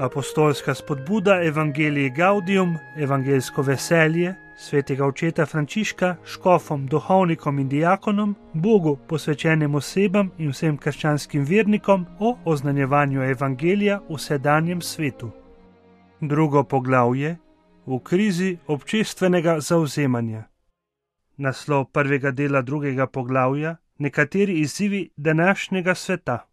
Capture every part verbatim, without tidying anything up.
Apostolska spodbuda Evangelii Gaudium, evangeljsko veselje, svetega očeta Frančiška, škofom, duhovnikom in diakonom, Bogu posvečenim osebam in vsem krščanskim vernikom o oznanjevanju evangelija v sedanjem svetu. Drugo poglavje: v krizi občestvenega zavzemanja. Naslov prvega dela drugega poglavja: nekateri izzivi današnjega sveta.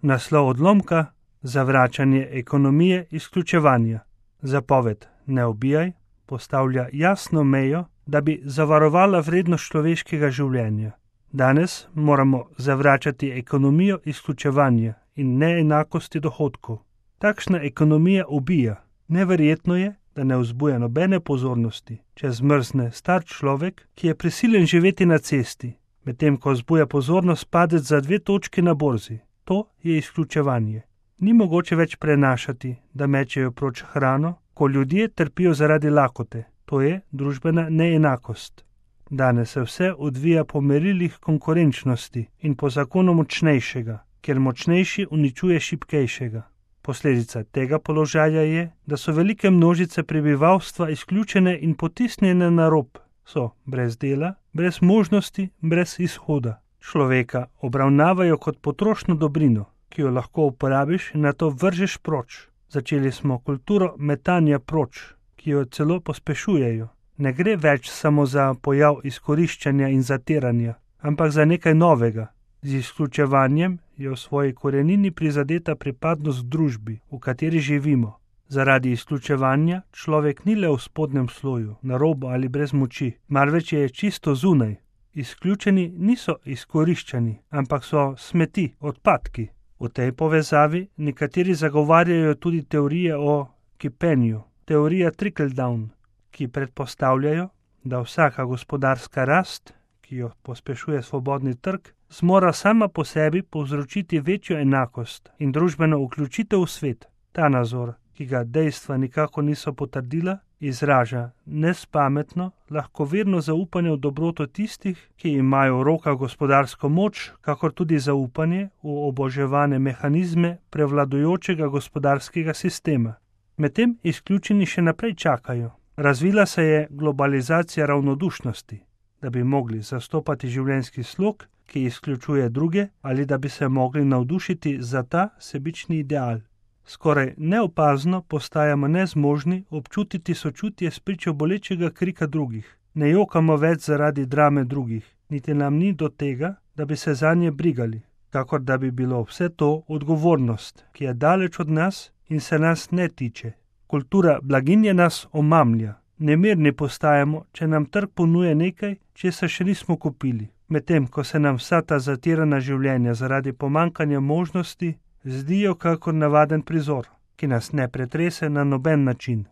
Naslov odlomka: zavračanje ekonomije izključevanja. Zapoved ne ubijaj postavlja jasno mejo, da bi zavarovala vrednost človeškega življenja. Danes moramo zavračati ekonomijo izključevanja in neenakosti dohodkov. Takšna ekonomija ubija. Neverjetno je, da ne vzbuja nobene pozornosti, če zmrzne star človek, ki je prisiljen živeti na cesti, medtem ko vzbuja pozornost padec za dve točki na borzi. To je izključevanje. Ni mogoče več prenašati, da mečejo proč hrano, ko ljudje trpijo zaradi lakote. To je družbena neenakost. Danes se vse odvija po merilih konkurenčnosti in po zakonu močnejšega, ker močnejši uničuje šibkejšega. Posledica tega položaja je, da so velike množice prebivalstva izključene in potisnjene na rob. So brez dela, brez možnosti, brez izhoda. Človeka obravnavajo kot potrošno dobrino, ki jo lahko uporabiš in nato vržeš proč. Začeli smo kulturo metanja proč, ki jo celo pospešujejo. Ne gre več samo za pojav izkoriščanja in zatiranja, ampak za nekaj novega. Z izključevanjem je v svoji korenini prizadeta pripadnost družbi, v kateri živimo. Zaradi izključevanja človek ni le v spodnjem sloju, na robu ali brez moči, marveč je čisto zunaj. Izključeni niso izkoriščani, ampak so smeti, odpadki. V tej povezavi nekateri zagovarjajo tudi teorije o kipenju, teorija trickle-down, ki predpostavljajo, da vsaka gospodarska rast, ki jo pospešuje svobodni trg, zmora sama po sebi povzročiti večjo enakost in družbeno vključitev v svet. Ta nazor, ki ga dejstva nikako niso potrdila, izraža nespametno, lahkoverno zaupanje v dobroto tistih, ki imajo v rokah gospodarsko moč, kakor tudi zaupanje v oboževane mehanizme prevladujočega gospodarskega sistema. Medtem izključeni še naprej čakajo. Razvila se je globalizacija ravnodušnosti, da bi mogli zastopati življenjski slog, ki izključuje druge, ali da bi se mogli navdušiti za ta sebični ideal. Skoraj neopazno postajamo nezmožni občutiti sočutje spričo bolečega krika drugih. Ne jokamo več zaradi drame drugih, niti nam ni do tega, da bi se zanje brigali, kakor da bi bilo vse to odgovornost, ki je daleč od nas in se nas ne tiče. Kultura blaginje nas omamlja. Nemirni postajamo, če nam trg ponuje nekaj, česar še nismo kupili, medtem ko se nam vsa ta zatirana življenja zaradi pomanjkanja možnosti zdijo kakor navaden prizor, ki nas ne pretrese na noben način.